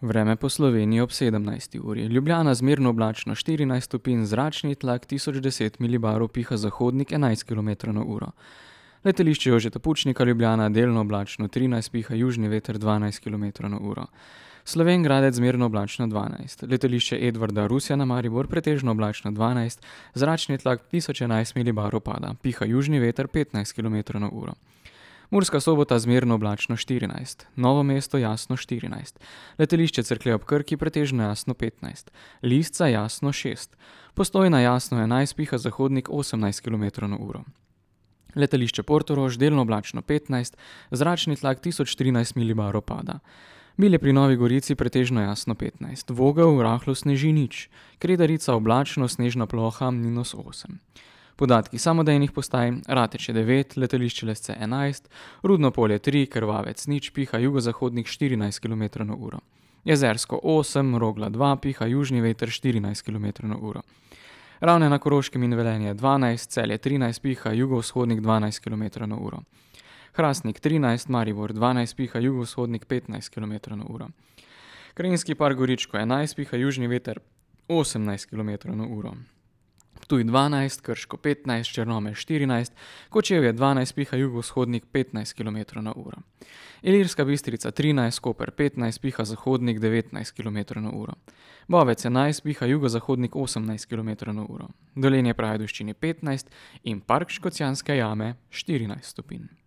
Vreme po Sloveniji ob 17. uri. Ljubljana zmerno oblačno 14 stopinj, zračni tlak 1010 milibarov, piha zahodnik 11 km/h. Letališče Jožeta Pučnika Ljubljana delno oblačno 13, piha južni veter 12 km/h. Slovenj Gradec zmerno oblačno 12, letališče Edvarda Rusjana Maribor pretežno oblačno 12, zračni tlak 1011 milibarov pada, piha južni veter 15 km/h. Murska Sobota zmerno oblačno 14, Novo mesto jasno 14, letališče Cerklje ob Krki pretežno jasno 15, Lisca jasno 6, Postojna jasno 11, piha zahodnik 18 km/h. Letališče Portorož delno oblačno 15, zračni tlak 1013 milibarov pada. Milje pri Novi Gorici pretežno jasno 15, Vogel rahlo sneži nič, Kredarica oblačno, snežna ploha -8. Podatki samodejnih postaj: Rateče 9, letališče Lesce 11, Rudno Polje 3, Krvavec 0, piha jugozahodnik 14 km/h. Jezersko 8, Rogla 2, piha južni veter 14 km/h. Ravne na Koroškem in Velenje 12, Celje 13, piha jugovzhodnik 12 km/h. Hrastnik 13, Maribor 12, piha jugovzhodnik 15 km/h. Krajinski park Goričko 11, piha južni veter 18 km/h. Ptuj 12, Krško 15, Črnomelj 14, Kočevje 12, piha jugovzhodnik 15 km/h. Ilirska Bistrica 13, Koper 15, piha zahodnik 19 km/h. Bovec 11, piha jugozahodnik 18 km/h. Dolenje pri Ajdovščini 15 in park Škocjanske jame 14 stopinj.